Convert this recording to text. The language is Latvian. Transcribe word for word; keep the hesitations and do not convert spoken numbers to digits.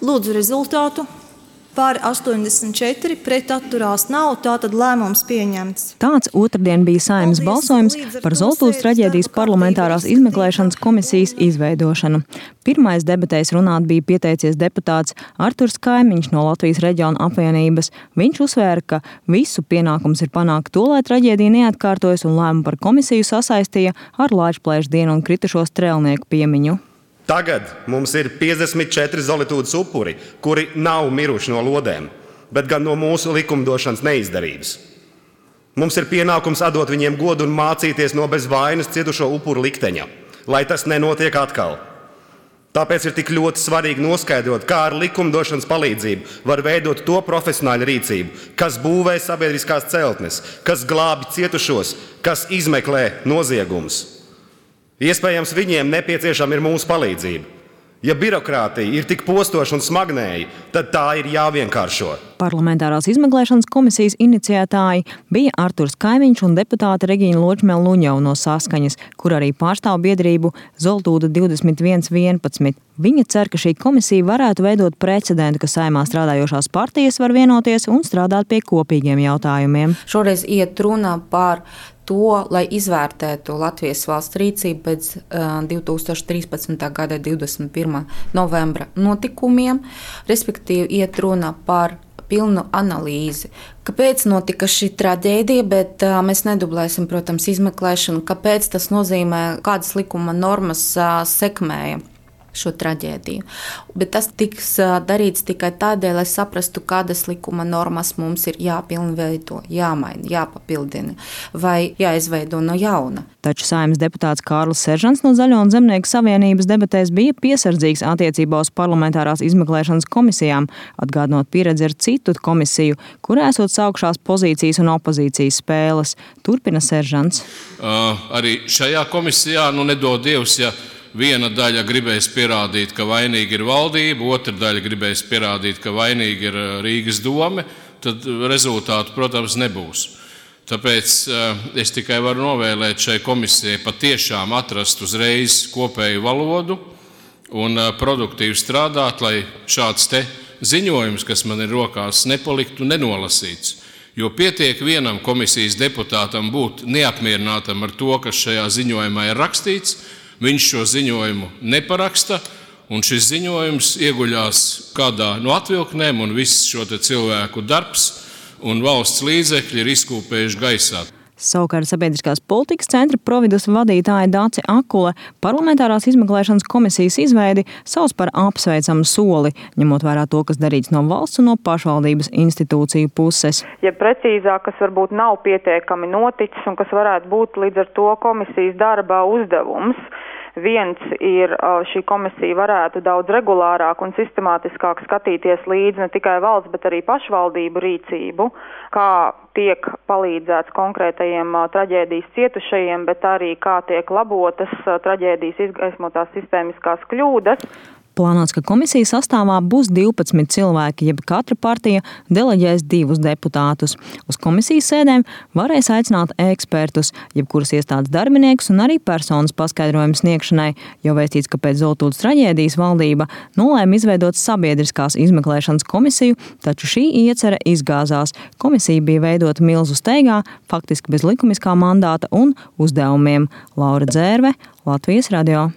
Lūdzu rezultātu. Pār astoņdesmit četri, pret atturās nav, tātad lēmums pieņemts. Tāds otrdien bija Saeimas balsojums par Zoltūdas traģēdijas parlamentārās izmeklēšanas komisijas izveidošanu. Pirmais debatēs runāt bija pieteicies deputāts Arturs Kaimiņš no Latvijas reģiona apvienības. Viņš uzsvēra, ka visu pienākums ir panākt to, lai traģēdija neatkārtojas, un lēmumu par komisiju sasaistīja ar Laičplēša dienu un kritušo strēlnieku piemiņu. Tagad mums ir piecdesmit četri Zolitūdas upuri, kuri nav miruši no lodēm, bet gan no mūsu likumdošanas neizdarības. Mums ir pienākums atdot viņiem godu un mācīties no bez vainas cietušo upuru likteņa, lai tas nenotiek atkal. Tāpēc ir tik ļoti svarīgi noskaidrot, kā ar likumdošanas palīdzību var veidot to profesionāļu rīcību, kas būvē sabiedriskās celtnes, kas glābi cietušos, kas izmeklē noziegumus. Iespējams, viņiem nepieciešama ir mūsu palīdzība. Ja birokrātija ir tik postoša un smagnēja, tad tā ir jāvienkāršo. Parlamentārās izmeklēšanas komisijas iniciētāji bija Arturs Kaimiņš un deputāte Regīna Ločmele-Luņeva no Saskaņas, kur arī pārstāv biedrību Zoltūda divdesmit viens vienpadsmit. Viņa cer, ka šī komisija varētu veidot precedentu, ka Saeimā strādājošās partijas var vienoties un strādāt pie kopīgiem jautājumiem. Šoreiz iet runa par to, lai izvērtētu Latvijas valsts rīcību pēc uh, divi tūkstoši trīspadsmitā gada divdesmit pirmā novembra notikumiem, respektīvi iet runa par pilnu analīzi. Kāpēc notika šī traģēdija, bet uh, mēs nedublēsim, protams, izmeklēšanu, kāpēc tas nozīmē, kādas likuma normas uh, sekmēja šo traģēdiju. Bet tas tiks darīts tikai tādēļ, lai saprastu, kādas likuma normas mums ir jāpilnveido, jāmaina, jāpapildina vai jāizveido no jauna. Taču Saeimas deputāts Kārlis Seržants no Zaļo un Zemnieku savienības debatēs bija piesardzīgs attiecībā uz parlamentārās izmeklēšanas komisijām, atgādinot pieredzi ar citu komisiju, kurā esot saukšās pozīcijas un opozīcijas spēles. Turpina Seržants. Uh, arī šajā komisijā, nu nedod Dievs, ja viena daļa gribēs pierādīt, ka vainīga ir valdība, otra daļa gribēs pierādīt, ka vainīga ir Rīgas dome, tad rezultātu, protams, nebūs. Tāpēc es tikai varu novēlēt šai komisijai patiešām atrast uzreiz kopēju valodu un produktīvi strādāt, lai šāds te ziņojums, kas man ir rokās, nepaliktu nenolasīts. Jo pietiek vienam komisijas deputātam būt neapmierinātam ar to, kas šajā ziņojumā ir rakstīts. Viņš šo ziņojumu neparaksta, un šis ziņojums ieguļās kādā no atvilknēm, un viss šo te cilvēku darbs un valsts līdzekļi ir izkūpējuši gaisā. Savukārt sabiedriskās politikas centra Providus vadītāja Dace Akule parlamentārās izmeklēšanas komisijas izveidi sauc par apsveicamu soli, ņemot vērā to, kas darīts no valsts un no pašvaldības institūciju puses. Ja precīzāk, kas varbūt nav pietiekami noticis un kas varētu būt līdz ar to komisijas darba uzdevums. Viens ir, šī komisija varētu daudz regulārāk un sistemātiskāk skatīties līdzi ne tikai valsts, bet arī pašvaldību rīcību, kā tiek palīdzēts konkrētajiem traģēdijas cietušajiem, bet arī kā tiek labotas traģēdijas izgaismotās sistēmiskās kļūdas. Plānots, ka komisijas sastāvā būs divpadsmit cilvēki, jeb katra partija deleģēs divus deputātus. Uz komisijas sēdēm varēs aicināt ekspertus, jebkuras iestādes darbiniekus un arī personas paskaidrojumu sniegšanai, jo vēstīts, ka pēc Zoltūdas traģēdijas valdība nolēma izveidot sabiedriskās izmeklēšanas komisiju, taču šī iecerē izgāzās. Komisija bija veidota milzu steigā, faktiski bez likumiskā mandāta un uzdevumiem. Laura Dzērve, Latvijas radio.